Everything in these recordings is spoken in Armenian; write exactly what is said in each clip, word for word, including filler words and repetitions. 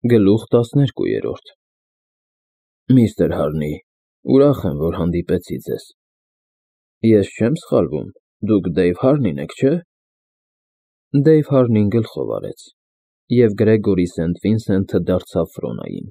Գլուխ տասներկուերորդ Միստր Հարնի, ուրախ եմ, որ հանդիպեցի ձեզ։ Ես չեմ սխալվում, դուք Դեյվ Հարնին եք, չէ՞։ Դեյվ Հարնին գլխով արեց, և Գրեգորի Սենթ Վինսենթը դարձավ Ֆրոնային։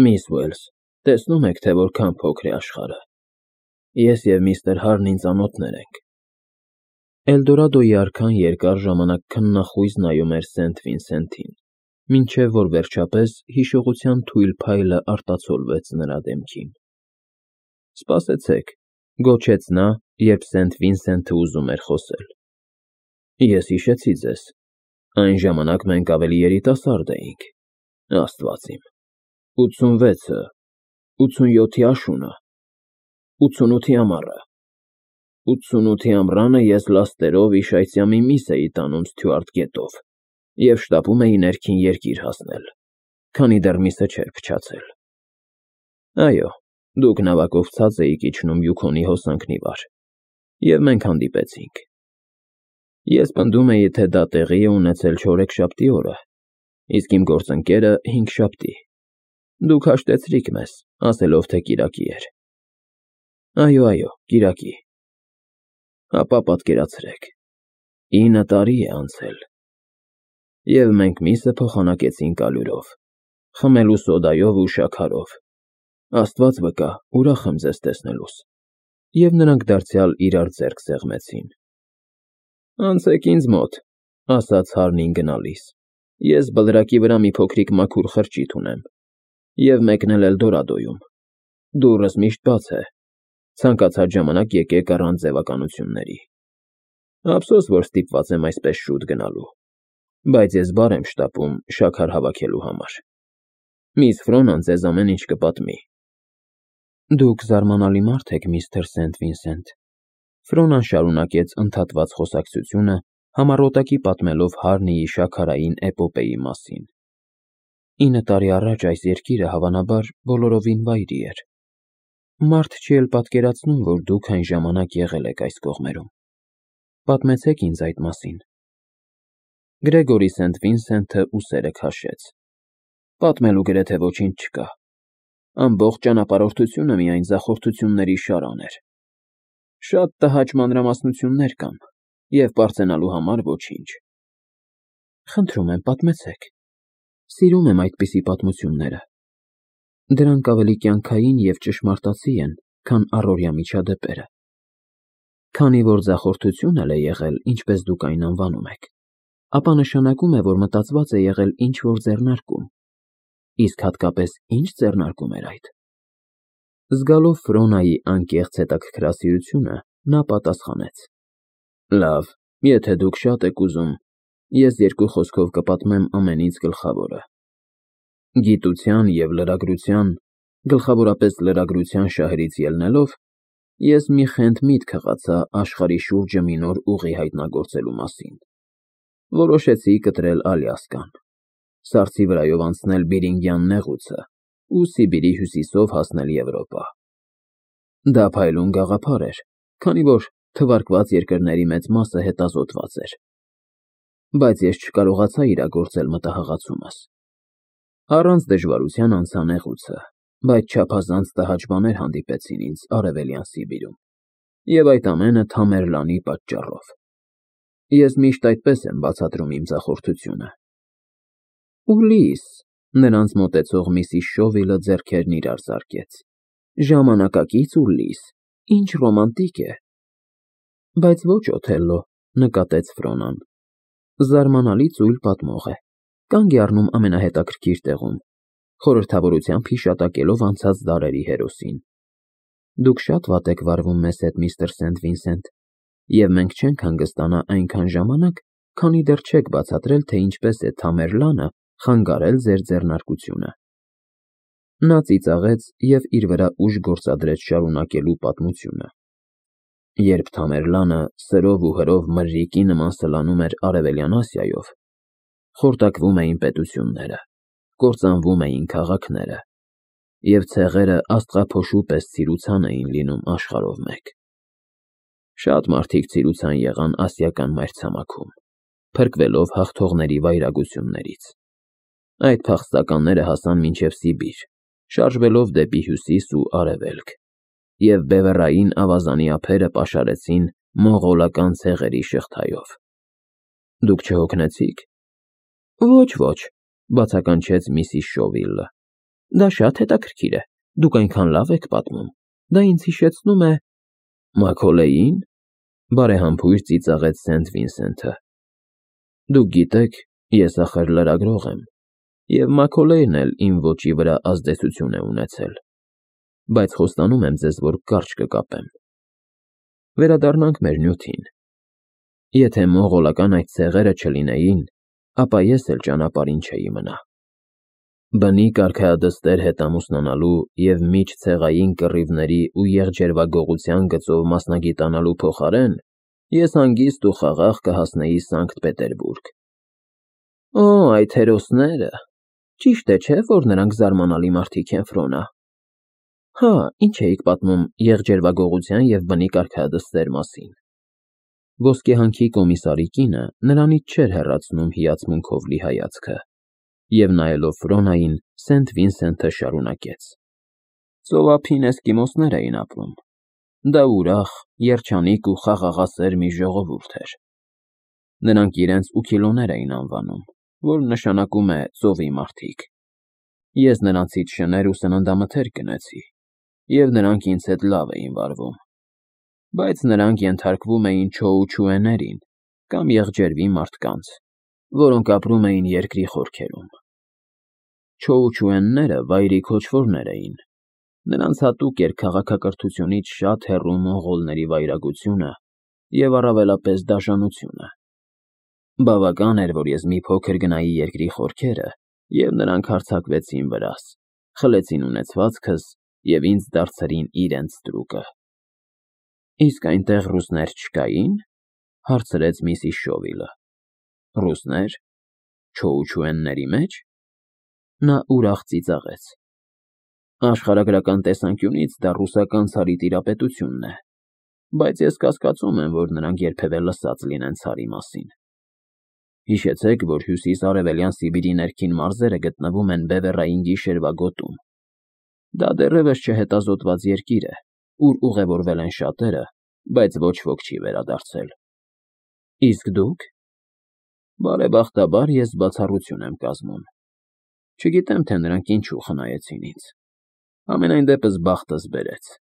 Միս Ուելս, տեսնում եք, թե որքան փոքր է աշխարհը։ Ես և միստր Հարնին ծանոթներ ենք։ Էլդորադոյի արքան երկար ժամանակ քննախույզ նայում էր Սենթ Վինսենթին, մինչև որ վերջապես հիշողության թույլ փայլը արտացոլվեց նրա դեմքին։ Սպասեցեք, գոչեց նա, երբ Սենթ Վինսենթը ուզում էր խոսել։ Ես հիշեցի ձեզ, այն ժամանակ մենք ավելի երիտասարդ էինք, Աստված իմ, ութսունվեցը, ութսունյոթի աշունը, ութսունութի ամառը, ութսունութի ամռանը ես լաստերով Իշայծյամի միս էի տանում Սթյուարտ գետով և շտապում էի ներքին երկիր հասնել, քանի դեռ միսը չէր փչացել։ Այո, դուք նավակով ցած էիք իջնում Յուքոնի հոսանքն ի վար, և մենք հանդիպեցինք։ Ես պնդում էի, թե դա տեղի է ունեցել չորեքշաբթի օրը, իսկ իմ գործընկերը հինգշաբթի։ Դուք հաշտեցրիք մեզ, ասելով, թե կիրակի էր։ Այո, այո, կիրակի։ Ապա պատկերացրեք, ինը տարի է անցել, և մենք միսը փոխանակեցինք ալյուրով, խմելու սոդայով ու շաքարով։ Աստված վկա, ուրախ եմ ձեզ տեսնելուս։ Եվ նրանք դարձյալ իրար ձեռք սեղմեցին։ Անցեք ինձ մոտ, ասաց Հարնին գնալիս, ես բլրակի վրա մի փոքրիկ մաքուր խրճիթ ունեմ, և մեկն էլ Էլդորադոյում։ Դուռս միշտ բաց է, ցանկացած ժամանակ եկեք առանց ձևականությունների։ Ափսոս, որ ստիպված եմ այսպես շուտ գնալու, բայց ես բառ եմ շտապում շաքար հավաքելու համար։ Միս Ֆրոնան ձեզ ամեն ինչ կպատմի։ Դուք զարմանալի մարդ եք, միստր Սենթ Վինսենթ, Ֆրոնան շարունակեց ընդհատված խոսակցությունը, համառոտակի պատմելով Հարնիի շաքարային էպոպեայի մասին։ Ինը տարի առաջ այս երկիրը, հավանաբար, բոլորովին վայրի էր։ Մարդ չի էլ պատկերացնում, որ դուք այն ժամանակ եղել եք այս կողմերում։ Պատմեցեք ինձ այդ մասին։ Գրեգորի Սենթ Վինսենթը ուսերը քաշեց։ Պատմելու գրեթե ոչինչ չկա։ Ամբողջ ճանապարհորդությունը միայն ձախորդությունների շարան էր։ Շատ տհաճ մանրամասնություններ կան, և պարծենալու համար ոչինչ։ Խնդրում եմ, պատմեցեք։ Սիրում եմ այդպիսի պատմությունները։ Դրանք ավելի կյանքային և ճշմարտացի են, քան առօրյա միջադեպերը։ Քանի որ ձախորդություն էլ է եղել, ինչպես դուք այն անվանում եք, ապա նշանակում է, որ մտածված է եղել ինչ-որ ձեռնարկում։ Իսկ հատկապես ինչ ձեռնարկում էր այդ։ Զգալով Ֆրոնայի անկեղծ հետաքրքրասիրությունը, նա պատասխանեց. Լավ, եթե դուք շատ եք ուզում, ես երկու խոսքով կպատմեմ ամենից գլխավորը։ Գիտության և լրագրության, գլխավորապես լրագրության շահերից ելնելով, ես մի խենթ միտք հղացա աշխարհի շուրջը մի նոր ուղի հայտնագործելու մասին։ Որոշեցի կտրել Ալյասկան, սառցի վրայով անցնել Բերինգյան նեղուցը ու Սիբիրի հյուսիսով հասնել Եվրոպա։ Դա փայլուն գաղափար էր, քանի որ թվարկված երկրների մեծ մասը հետազոտված էր։ Բայց ես չկարողացա իրագործել մտահղացումս։ Առանց դժվարության անցա նեղուցը, բայց չափազանց տհաճ բաներ հանդիպեցին ինձ Արևելյան Սիբիրում, և այդ ամենը Թամերլանի պատճառով։ Ես միշտ այդպես եմ բացատրում իմ ձախորդությունը։ Ուլիս, նրանց մոտեցող միսիս Շովիլը ձեռքերն իրար զարկեց, ժամանակակից Ուլիս, ինչ ռոմանտիկ է։ Բայց ոչ Օթելլո, նկատեց Ֆրոնան։ Զարմանալի ծույլ պատմող է, կանգ է առնում ամենահետաքրքիր տեղում, խորհրդավորությամբ հիշատակելով անցած դարերի հերոսին։ Դուք շատ վատ եք վարվում մեզ հետ, միստր Սենթ Վինսենթ, և մենք չենք հանգստանա այնքան ժամանակ, քանի դեռ չեք բացատրել, թե ինչպես է Թամերլանը խանգարել ձեր ձեռնարկությունը։ Նա ծիծաղեց և իր վրա ուժ գործադրեց շարունակելու պատմությունը։ Երբ Թամերլանը սրով ու հրով մրրիկի նման սլանում էր Արևելյան Ասիայով, խորտակվում էին պետությունները, կործանվում էին քաղաքները, և ցեղերը աստղափոշու պես ցիրուցան էին լինում աշխարհով մեկ։ Շատ մարդիկ ցիրուցան եղան ասիական մայրցամաքում, փրկվելով հաղթողների վայրագություններից։ Այդ փախստականները հասան մինչև Սիբիր, շարժվելով դեպի հյուսիս ու արևելք, և բևեռային ավազանի ափերը պաշարեցին մոնղոլական ցեղերի շղթայով։ Դուք չհոգնեցի՞ք։ Ոչ, ոչ, բացականչեց միսիս Շովիլը։ Դա շատ հետաքրքիր է, դուք այնքան լավ եք պատմում, դա ինձ հիշեցնում է… Մաքոլեյի՞ն, բարեհամբույր ծիծաղեց Սենթ Վինսենթը։ Դուք գիտեք, ես ախր լրագրող եմ, և Մաքոլեյն էլ իմ ոճի վրա ազդեցություն է ունեցել, բայց խոստանում եմ ձեզ, որ կարճ կկապեմ։ Վերադառնանք մեր նյութին։ Եթե մոնղոլական այդ ցեղերը չլինեին, ապա ես էլ ճանապարհին չէի մնա։ Բնիկ արքայադստեր հետ ամուսնանալու և միջցեղային կռիվների ու եղջերվագողության գծով մասնագիտանալու փոխարեն ես հանգիստ ու խաղաղ կհասնեի Սանկտ Պետերբուրգ։ Օ, այդ հերոսները… Ճիշտ է, չէ՞, որ նրանք զարմանալի մարդիկ են, Ֆրոնա։ Հա, ինչ էիք պատմում եղջերվագողության և բնիկ արքայադստեր մասին։ Ոսկեհանքի կոմիսարի կինը նրանից չէր հեռացնում հիացմունքով լի հայացքը, և նայելով Ֆրոնային, Սենթ Վինսենթը շարունակեց. Ծովափին էսկիմոսներ էին ապրում։ Դա ուրախ, երջանիկ ու խաղաղասեր մի ժողովուրդ էր։ Նրանք իրենց ուքիլոներ էին անվանում, որ նշանակում է ծովի մարդիկ։ Ես նրանցից շներ ու սննդամթերք գնեցի, և նրանք ինձ հետ լավ էին վարվում։ Բայց նրանք ենթարկվում էին չոուչուեներին կամ եղջերվի մարդկանց, որոնք ապրում էին երկրի խորքերում։ Չոուչուենները վայրի քոչվորներ էին։ Նրանց հատուկ էր քաղաքակրթությունից շատ հեռու մոնղոլների վայրագությունը և առավելապես դաշնությունը։ Բավական էր, որ ես մի փոքր գնայի երկրի խորքերը, և նրանք հարձակվեցին վրաս, խլեցին ունեցվածքս և ինձ դարձրին իրենց ստրուկը։ Իսկ այնտեղ ռուսներ չկայի՞ն, հարցրեց միսիս Շովիլը։ Ռուսնե՞ր… Չոուչուենների մեջ… Նա ուրախ ծիծաղեց։ Աշխարհագրական տեսանկյունից դա ռուսական ցարի տիրապետությունն է, բայց ես կասկածում եմ, որ նրանք երբևէ լսած լինեն ցարի մասին։ Հիշեցեք, որ հյուսիս֊արևելյան Սիբիրի ներքին մարզերը գտնվում են բևեռային գիշերվա գոտում։ Դա դեռևս չհետազոտված երկիր է, ուր ուղևորվել են շատերը, բայց ոչ ոք չի վերադարձել։ Իսկ դուք… Բարեբախտաբար ես բացառություն եմ կազմում։ Չգիտեմ, թե նրանք ինչու խնայեցին ինձ։ Համենայն դեպս բախտս բերեց։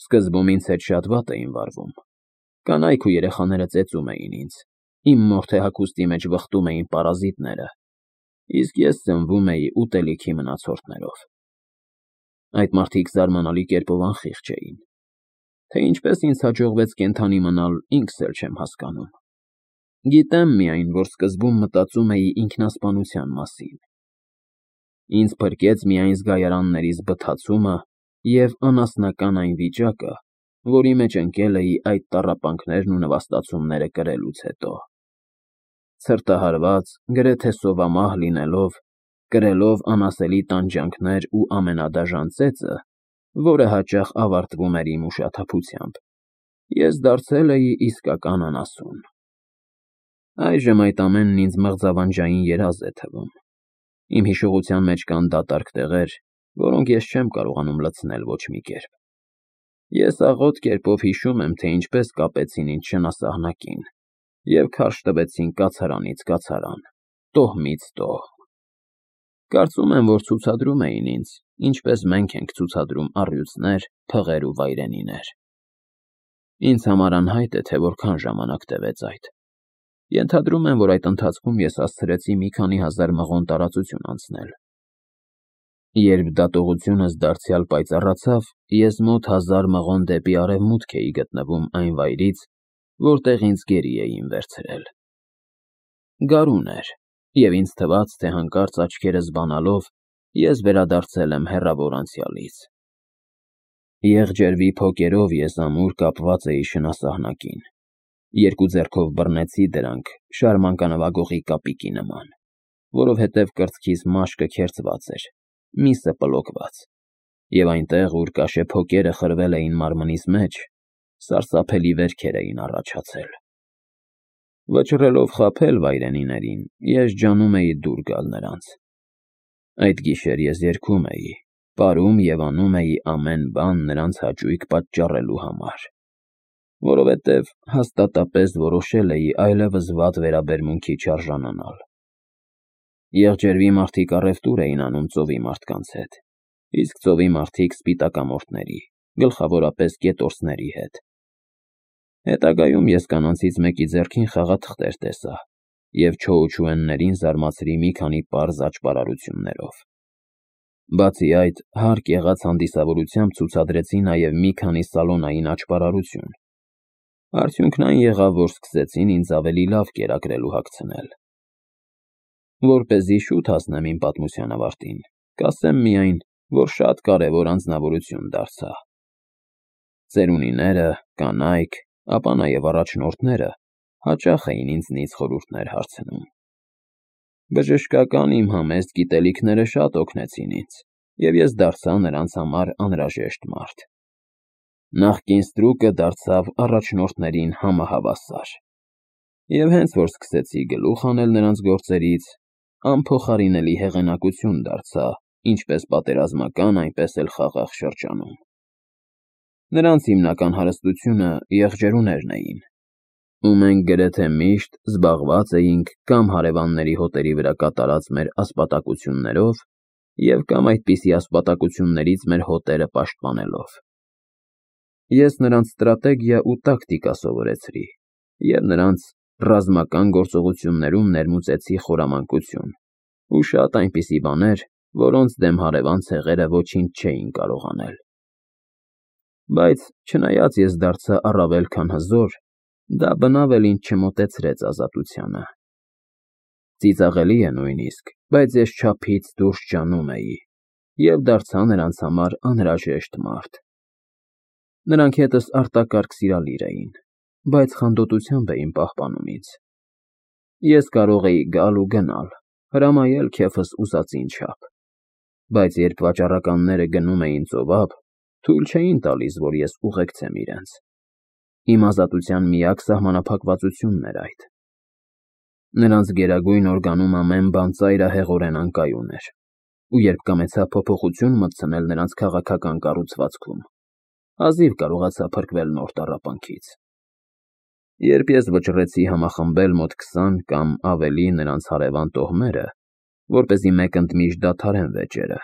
Սկզբում ինձ հետ շատ վատ էին վարվում։ Կանայք ու երեխաները ծեծում էին ինձ, իմ մորթե հագուստի մեջ վխտում էին պարազիտները, իսկ ես սնվում էի ուտելիքի մնացորդներով։ Այդ մարդիկ զարմանալի կերպով անխիղճ էին։ Թե ինչպես ինձ հաջողվեց կենդանի մնալ, ինքս էլ չեմ հասկանում։ Գիտեմ միայն, որ սկզբում մտածում էի ինքնասպանության մասին։ Ինձ փրկեց միայն զգայարաններից բթացումը և անասնական այն վիճակը, որի մեջ ընկել էի այդ տառապանքներն ու նվաստացումները կրելուց հետո։ Ցրտահարված, գրեթե սովամահ լինելով, կրելով անասելի տանջանքներ ու ամենադաժան ծեծը, որը հաճախ ավարտվում էր իմ ուշաթափությամբ, ես դարձել էի իսկական անասուն։ Այժմ այդ ամենն ինձ մղձավանջային երազ է թվում։ Իմ հիշողության մեջ կան դատարկ տեղեր, որոնք ես չեմ կարողանում լցնել ոչ մի կերպ։ Ես աղոտ կերպով հիշում եմ, թե ինչպես կապեցին ինձ շնասահնակին և քարշ տվեցին կացարանից կացարան, տոհմից տոհմ։ Կարծում եմ, որ ցուցադրում էին ինձ, ինչպես մենք ենք ցուցադրում առյուծներ, փղեր ու վայրենիներ։ Ինձ համար անհայտ է, թե որքան ժամանակ տևեց այդ։ Ենթադրում եմ, որ այդ ընթացքում ես հասցրեցի մի քանի հազար մղոն տարածություն անցնել։ Երբ դատողությունս դարձյալ պայծառացավ, ես մոտ հազար մղոն դեպի արևմուտք էի գտնվում այն վայրից, որտեղ ինձ գերի էին վերցրել։ Գարուն էր, և ինձ թվաց, թե հանկարծ աչքերս բանալով ես վերադարձել եմ հեռավոր անցյալից։ Եղջերվի փոկերով ես ամուր կապված էի շնասահնակին։ Երկու ձեռքով բռնեցի դրանք շարմանկանվագողի կապիկի նման, որովհետև կրծքիս մաշկը քերծված էր, միսը պլոկված, և այնտեղ, ուր կաշե փոկերը խրվել էին մարմնիս մեջ, սարսափելի վերքեր էին առաջացել։ Վճռելով խաբել վայրենիներին, ես ջանում էի դուր գալ նրանց։ Այդ գիշեր ես երգում էի, պարում և անում էի ամեն բան նրանց հաճույք պատճառելու համար, որովհետև հաստատապես որոշել էի այլևս վատ վերաբերմունքի չարժանանալ։ Եղջերվի մարդիկ առևտուր էին անում ծովի մարդկանց հետ, իսկ ծովի մարդիկ սպիտակամորթների, գլխավորապես կետորսների հետ։ Հետագայում ես կանանցից մեկի ձեռքին խաղաթղթեր տեսա և չոուչուեններին զարմացրի մի քանի պարզ աճպարարություններով։ Բացի այդ, հարկ եղած հանդիսավորությամբ ցուցադրեցի նաև մի քանի սալոնային աճպարարություն։ Արդյունքն այն եղավ, որ սկսեցին ինձ ավելի լավ կերակրելու հագցնել։ Որպեսզի շուտ հասնեմ իմ պատմության ավարտին, կասեմ միայն, որ շատ կարևոր անձնավորություն դարձա։ Ծերունիները, կանայք, ապա նաև առաջնորդները հաճախ էին ինձնից խորհուրդներ հարցնում։ Բժշկական իմ համեստ գիտելիքները շատ օգնեցին ինձ, և ես դարձա նրանց համար անհրաժեշտ մարդ։ Նախկին ստրուկը դարձավ առաջնորդներին համահավասար։ Եվ հենց որ սկսեցի գլուխ հանել նրանց գործերից, անփոխարինելի հեղինակություն դարձա ինչպես պատերազմական, այնպես էլ խաղաղ շրջանում։ Նրանց հիմնական հարստությունը եղջերուներն էին, ու մենք գրեթե միշտ զբաղված էինք կամ հարևանների հոտերի վրա կատարած մեր ասպատակություններով և կամ այդպիսի ասպատակություններից մեր հոտերը պաշտպանելով։ Ես նրանց ստրատեգիա ու տակտիկա սովորեցրի և նրանց ռազմական գործողություններում ներմուծեցի խորամանկություն ու շատ այնպիսի բաներ, որոնց դեմ հարևան ցեղերը ոչինչ չէին կարող անել։ Բայց չնայած ես դարձա առավել քան հզոր, դա բնավ էլ ինձ չմոտեցրեց ազատությանը։ Ծիծաղելի է նույնիսկ, բայց ես չափից դուրս ջանում էի և դարձա նրանց համար անհրաժեշտ մարդ։ Նրանք հետս արտակարգ սիրալիր էին, բայց խանդոտությամբ էին պահպանում ինձ։ Ես կարող էի գալ ու գնալ, հրամայել քեֆս ուզածին չափ, բայց երբ վաճառականները գնում էին ծովափ, թույլ չէին տալիս, որ ես ուղեկցեմ իրենց։ Իմ ազատության միակ սահմանափակվածությունն էր այդ։ Նրանց գերագույն օրգանում ամեն բան ծայրահեղորեն անկայուն էր, ու երբ կամեցա փոփոխություն մտցնել նրանց քաղաքական կառուցվածքում, հազիվ կարողացա փրկվել նոր տառապանքից։ Երբ ես վճռեցի համախմբել մոտ քսան կամ ավելի նրանց հարևան տոհմերը, որպեսզի մեկընդմիշտ դադարեն վեճերը,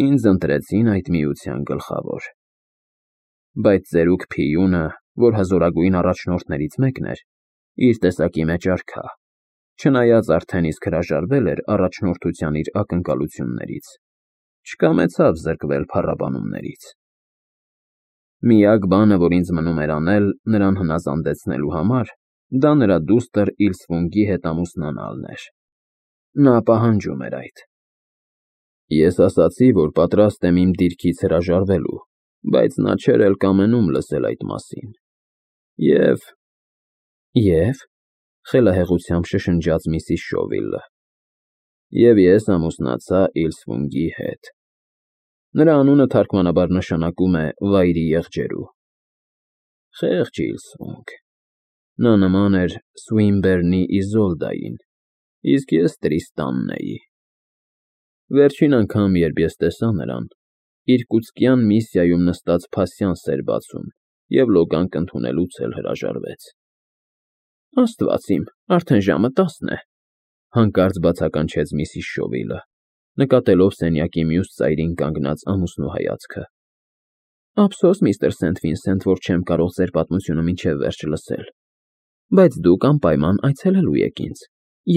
ինձ ընտրեցին այդ միության գլխավոր։ Բայց ծերուկ Փիյունը, որ հզորագույն առաջնորդներից մեկն էր, իր տեսակի մեջ արքա, չնայած արդեն իսկ հրաժարվել էր առաջնորդության իր ակնկալություններից, չկամեցավ զրկվել փառաբանումներից։ Միակ բանը, որ ինձ մնում էր անել նրան հնազանդեցնելու համար, դա նրա դուստր Իլսվունգի հետ ամուսնանալն էր։ Նա պահանջում էր այդ։ Ես ասացի, որ պատրաստ եմ իմ դիրքից հրաժարվելու, բայց նա չէր էլ կամենում լսել այդ մասին։ Եվ… Եվ… խելահեղությամբ շշնջաց միսիս Շովիլը։ Եվ ես ամուսնացա Իլսվունգի հետ։ Նրա անունը թարգմանաբար նշանակում է «վայրի եղջերու»։ Խեղճ Իլսվունգ։ Նա նման էր Սուինբեռնի Իզոլդային, իսկ ես Տրիստանն էի։ Վերջին անգամ, երբ ես տեսա նրան, իռկուտսկյան Միսիայում նստած փասյանս էր բացում և լոգանք ընդունելուց էլ հրաժարվեց։ Աստված իմ, արդեն ժամը տասն է, հանկարծ բացականչեց միսիս Շովիլը, նկատելով սենյակի մյուս ծայրին կանգնած ամուսնու հայացքը։ Ափսոս, միստր Սենթ Վինսենթ, որ չեմ կարող ձեր պատմությունը մինչև վերջ լսել, բայց դուք անպայման այցելելու եք ինձ,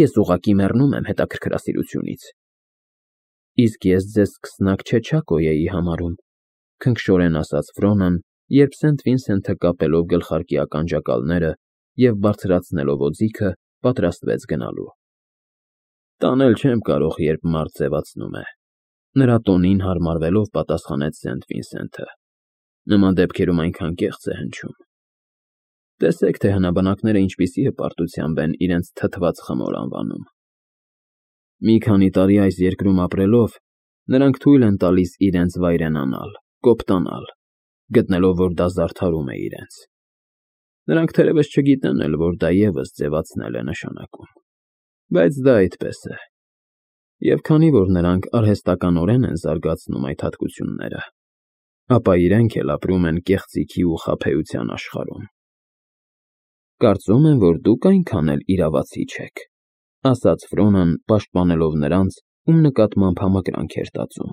ես ուղղակի մեռնում եմ հետաքրքրասիրությունից։ Իսկ ես ձեզ սկսնակ չեչակոյ էի համարում, քնքշորեն ասաց Ֆրոնան, երբ Սենթ Վինսենթը կապելով գլխարկի ականջակալները և բարձրացնելով օձիքը, պատրաստվեց գնալու։ Տանել չեմ կարող, երբ մարդ ձևացնում է, նրա տոնին հարմարվելով պատասխանեց Սենթ Վինսենթը։ Նման դեպքերում այնքան կեղծ է հնչում։ Տեսեք, թե հնաբնակները ինչպիսի հպարտությամբ են իրենց թթված խմոր անվանում։ Մի քանի տարի այս երկրում ապրելով, նրանք թույլ են տալիս իրենց վայրենանալ, կոպտանալ, գտնելով, որ դա զարդարում է իրենց։ Նրանք թերևս չգիտեն էլ, որ դա ևս ձևացնել է նշանակում, բայց դա այդպես է, և քանի որ նրանք արհեստականորեն են զարգացնում այդ հատկությունները, ապա իրենք էլ ապրում են կեղծիքի ու խաբեության աշխարհում։ Կարծում եմ, որ դուք այնքան էլ իրավացի չեք, ասաց Ֆրոնան, պաշտպանելով նրանց, ում նկատմամբ համակրանք էր տածում։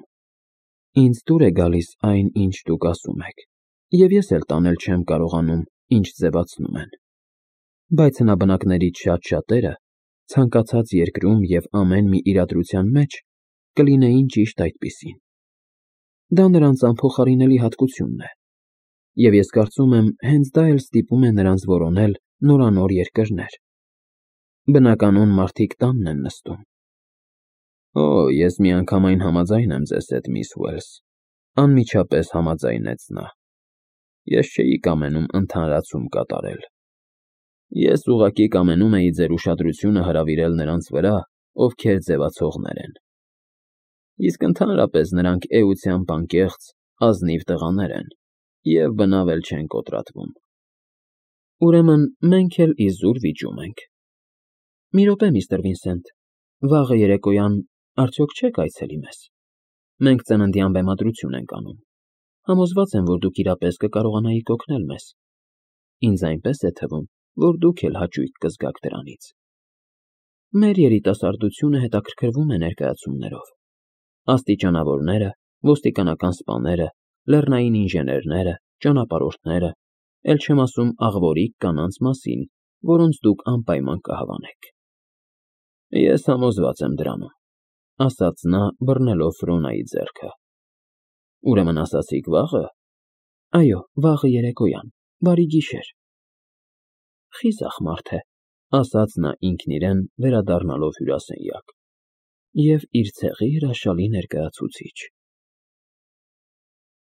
Ինձ դուր է գալիս այն, ինչ դուք ասում եք, և ես էլ տանել չեմ կարողանում, ինչ ձևացնում են, բայց հնաբնակներից շատ-շատերը ցանկացած երկրում և ամեն մի իրադրության մեջ կլինեին ճիշտ այդպիսին։ Դա նրանց անփոխարինելի հատկությունն է, և ես կարծում եմ, հենց դա էլ ստիպում է նրանց որոնել նորանոր երկրներ։ Բնականոն մարդիկ տանն են նստում։ Օ, ես միանգամայն համաձայն եմ ձեզ հետ, միս Ուելս, անմիջապես համաձայնեց նա։ Ես չէի կամենում ընդհանրացում կատարել։ Ես ուղղակի կամենում էի ձեր ուշադրությունը հրավիրել նրանց վրա, ովքեր ձևացողներ են։ Իսկ ընդհանրապես նրանք էությամբ անկեղծ, ազնիվ տղաներ են և բնավ էլ չեն կոտրատվում։ Ուրեմն մենք էլ իզուր վիճում ենք։ Մի րոպե, միստր Վինսենտ, վաղը երեկոյան արդյոք չեք այցելի մեզ։ Մենք ծննդյան բեմադրություն ենք անում։ Համոզված եմ, որ դուք իրապես կկարողանայիք օգնել մեզ։ Ինձ այնպես է թվում, որ դուք էլ հաճույք կզգաք դրանից։ Մեր երիտասարդությունը հետաքրքրվում է ներկայացումներով։ Աստիճանավորները, ոստիկանական սպաները, լեռնային ինժեներները, ճանապարհորդները, էլ չեմ ասում աղվորիկ կանանց մասին, որոնց դուք անպայման կհավանեք։ Ես համոզված եմ դրանում, ասաց նա, բռնելով Ֆրոնայի ձեռքը։ Ուրեմն ասացիք վաղը։ Այո, վաղը երեկոյան, բարի գիշեր։ Խիզախ մարդ է, ասաց նա ինքն իրեն, վերադառնալով հյուրասենյակ, և իր ցեղի հրաշալի ներկայացուցիչ։